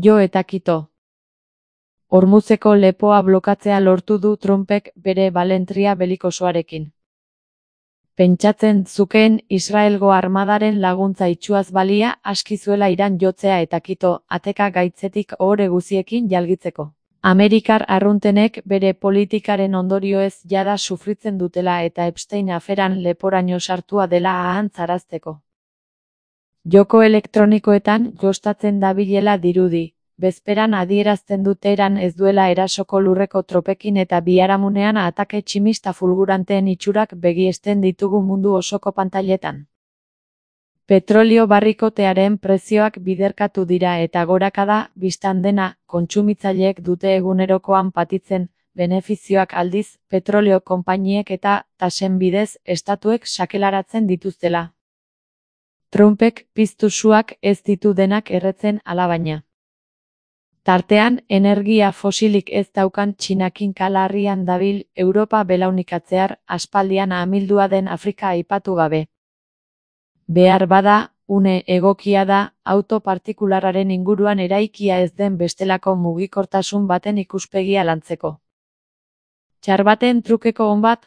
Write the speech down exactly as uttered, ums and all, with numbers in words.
Jo eta kito. Hormuzeko lepoa blokatzea lortu du Trumpek bere balentria belikosoarekin. Pentsatzen zukeen Israelgo armadaren laguntza itxuaz balia aski zuela Iran jotzea eta kito ateka gaitzetik ohore guziekin jalgitzeko. Amerikar arruntenek bere politikaren ondorioez jada sufritzen dutela eta Epstein aferan leporaino sartua dela ahantzarazteko. Joko elektronikoetan jostatzen dabilela dirudi. Bezperan adierazten du Teheran ez duela erasoko lurreko tropekin eta biharamunean atake tximista fulguranteen itxurak begiesten ditugu mundu osoko pantailetan. Petrolio barrikotearen prezioak biderkatu dira eta gorakada, bistan dena, kontsumitzaileek dute egunerokoan patitzen, benefizioak aldiz, petrolio konpainiek eta, tasen bidez, estatuek sakelaratzen dituztela. Trumpek piztu suak ez ditu denak erretzen alabaina. Tartean, energia fosilik ez daukan Txinakin kalarrian dabil Europa belaunikatzear aspaldian amildua den Afrika aipatu gabe. Behar bada, une egokia da, auto partikularraren inguruan eraikia ez den bestelako mugikortasun baten ikuspegia lantzeko. Txar baten trukeko on bat,